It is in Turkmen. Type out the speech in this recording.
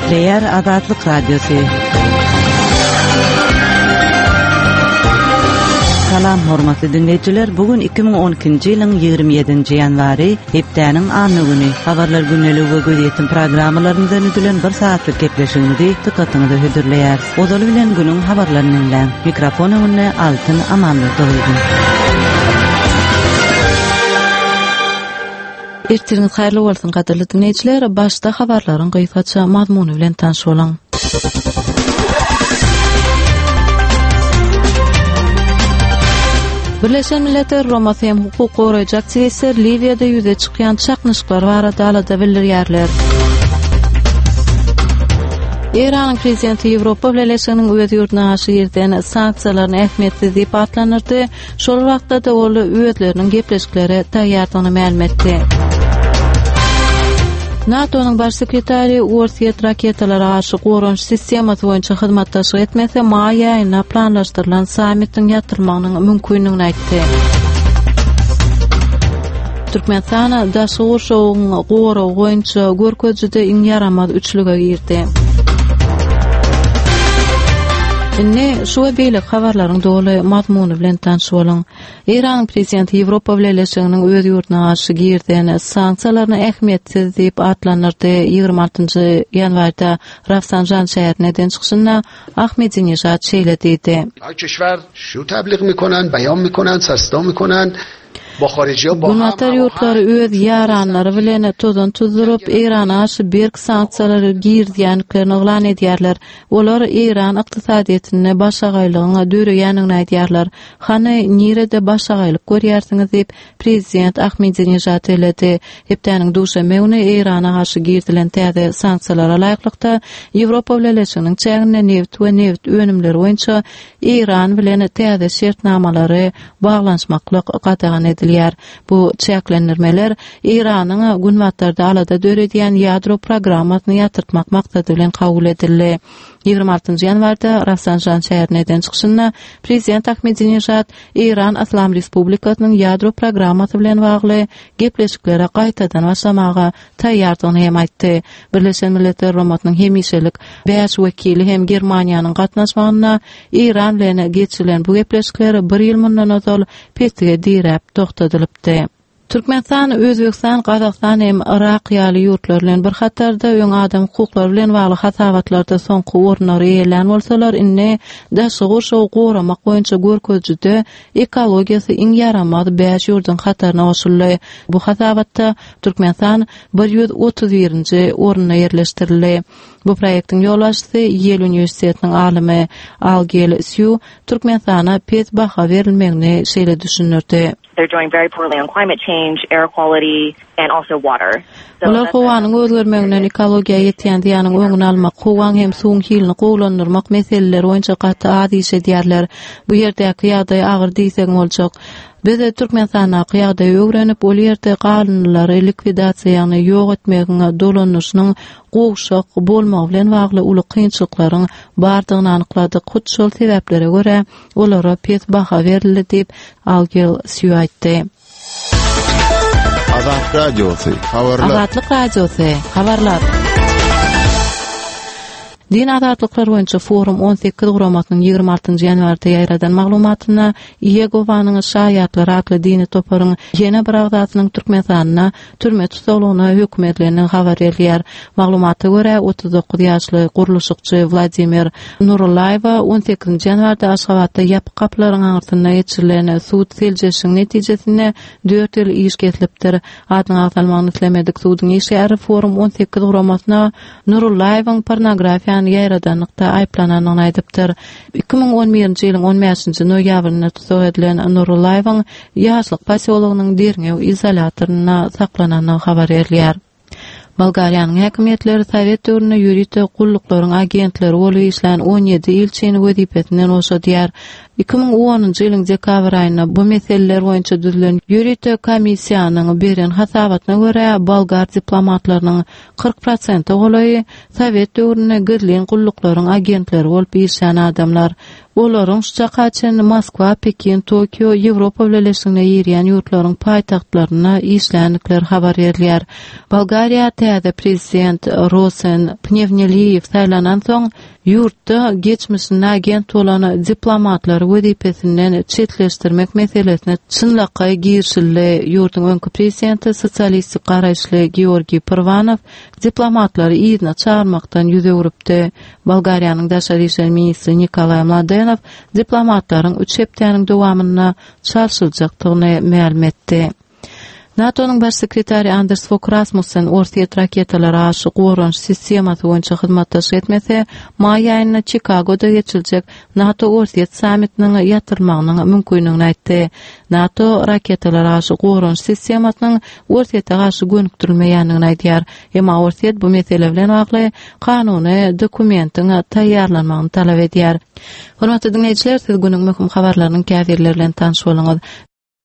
Gepleýär Azatlyk Radiosy. Salam hormatly diňleýjiler, bu gün 2012-nji ýylyň 27-nji ýanwary, hepdäniň anna güni. Habarlar gündeligi we gözýetim programmalaryndan düzülen bir sagatlyk gepleşigimizi dykgatyňyza hödürleýäris. Ozaly bilen günüň habarlaryny diňläň. Mikrofon öňünde Altyn Amanmurdowydy. Ertiriňiz haýyrly bolsun gadyrly diňleýjiler, başda habarlaryň gysgaça mazmuny bilen tanyş boluň. Birleşen Milletler Guramasy hem hukuk goraýjy aktiwistler Liwiýada ýüze çykýan çaknyşyklar barada alada bildirýärler. Eýranyň prezidenti Ýewropa Bileleşiginiň öz ýurduna garşy girizen sanksiýalaryny ähmiýetsiz diýip atlandyrdy. Şol wagtda-da ol özleriniň gepleşiklere taýýardygyny mälim etdi. NATO-nyň baş sekretary Orsýet raketalara garşy goranyş sistemasy boýunça hyzmatdaşlyk etmese, maý aýynda planlaşdyrylan sammitiň ýatyrylmagynyň mümkindigini aýtdy. Türkmenistan daşky gurşawyň goragy boýunça görkezijide iň ýaramaz üçlüge girdi. Indi şu we beýleki habarlaryň doly mazmuny bilen tanyş boluň. Eýranyň prezidenti Ýewropa Bileleşiginiň öz ýurduna garşy girizen sanksiýalaryny ähmiýetsiz diýip atlandyrdy. 26-njy ýanwarda Rafsanjan şäherinde eden çykyşynda Ahmedinejad şeýle diýdi. Günbatar ýurtlary öz ýaranlary bilen tozan tuzduryp, Eýrana garşy berk sanksiýalary girizýändiklerini yglan edýärler. Olar Eýran ykdysadyýetinde başagaýlygyň döreýändigini aýdýarlar. Hany, nirede başagaýlyk görýärsiňiz diýip, prezident Ahmedinejad belledi. Hepdäniň duşenbe güni Eýrana garşy girizilen täze sanksiýalara laýyklykda, Ýewropa Bileleşiginiň çäginde nebit we nebit önümleri boýunça Eýran bilen täze şertnamalary baglanyşmaklyk gadagan edilýär. Bu çäklendirmeler Eýranyň Günbatarda alada döredýän ýadro programmasyny ýatyrtmak maksady bilen kabul edildi. 26 ýanwarda Rafsanjan şäherinde eden çykyşynda prezident Ahmedinejad Eýran Yslam Respublikasynyň ýadro programmasy bilen bagly gepleşiklere gaýtadan başlamaga taýýardygyny hem aýtdy. Birleşen Milletler Guramasynyň hemişelik bäş wekili hem Germaniýanyň gatnaşmagynda Eýran bilen geçirilen bu gepleşikler bir ýyl mundan ozal petige diräp togtadylypdy. Türkmenistan, Özbegistan, Gazagystan hem Yrak ýaly ýurtlar bilen bir hatarda öň adam hukuklary bilen bagly hasabatlarda soňky orunlary eýelän bolsalar, indi daşky gurşawy goramak boýunça görkezijide ekologiýasy iň ýaramaz bäş ýurduň hataryna goşuldy. Bu hasabatda Türkmenistan 131-nji orunda ýerleşdirildi. Bu proýektiň ýolbaşçysy Ýel uniwersitetiniň alymy Algel Sýu Türkmenistana pes baha berilmegini şeýle düşündirdi. Bular howanyň özgermeginden ekologiýa ýetýän zyýanyň öňüni almak, howaň hem suwuň hilini gowulandyrmak meseleleri boýunça gaty az iş edýärler. Bu ýerdäki ýagdaý agyr diýseň boljak. Biz Türkmenistandaky ýagdaýy öwrenip, ol ýerde galyndylary likwidasiýa, ýagny ýok etmegiň dolanyşynyň gowşak bolmagy bilen bagly uly kynçylyklaryň bardygyny anykladyk. Hut şol sebäplere görä, olara pes baha berildi diýip, Algel Sýu aýtdy. Azat Radiosy, habarlar. Azatlyk Radiosy, habarlar. Din azatlyklar boýunça Forum 18 guramasynyň 26-njy ýanwarda ýaýradan maglumatynda Iýegowanyň şaýatlary atly dini toparyň ýene bir agzasynyň Türkmenistanda türme tussaglygyna höküm edilendigi habar berilýär. Maglumata görä, 39 ýaşly gurluşykçy Wladimir Nurullaýewa on sekizinji ýanwarda Aşgabatda ýapyk gapylaryň aňyrsynda geçirilen sud seljerişiň netijesinde dört ýyl iş kesilipdir. Adynyň agzalmagyny islemedik suduň işgäri Forum 18 guramasyna Nurullaýewiň pornografiýany ýaýradanlykda aýyplanandygyny aýdypdyr. 2011-nji ýylyň on bäşinji noýabrynda tussag edilen Nurullaýewiň Ýaşlyk posýologynyň derňew izolýatorynda saklanandygy habar berilýär. Bolgariýanyň häkimiýetleri sowet döwründe ýörite gulluklaryň agentleri bolup işlän 17 ilçini wezipesinden boşadýar. 2010-njy ýylyň dekabr aýynda bu meseleler boýunça düzülen ýörite komissiýanyň beren hasabatyna görä, bolgar diplomatlarynyň 40 prosente golaýy sowet döwründe gizlin gulluklaryň agentleri bolup işlän adamlar. Olaryň şu çaka çenli Moskwa, Pekin, Tokio, Ýewropa Bileleşigine girýän ýurtlaryň paýtagtlarynda işländikleri habar berilýär. Bolgariýa täze prezident Rosen Pnewneliýew saýlanansoň, ýurtda geçmişinde agent bolan diplomatlary wezipesinden çetleşdirmek meselesine çynlakaý girişildi. Ýurduň öňki prezidenti sosialistik garaýyşly Georgiý Pyrwanow diplomatlary yzyna çagyrmakdan ýüz öwrüpdi. Bolgariýanyň daşary işler ministri Nikolaý Mladenow diplomatlaryň üç hepdäniň dowamynda çalşyljakdygyny mälim etdi. NATO-nyň baş sekretary Anders Fog Rasmussen Orsýet raketalara garşy goranyş sistemasy boýunça hyzmatdaşlyk etmese, maý aýynda Çikagoda geçiriljek NATO-Orsýet sammitiniň ýatyrylmagynyň mümkindigini aýtdy. NATO raketalara garşy goranyş sistemasynyň Orsýete garşy gönükdirilmeýändigini aýdýar. Emma Orsýet bu mesele bilen bagly kanuny dokumentiň taýýarlanmagyny talap edýär. Hormatly diňleýjiler, siz günüň möhüm habarlarynyň käbirleri bilen tanyş bolduňyz.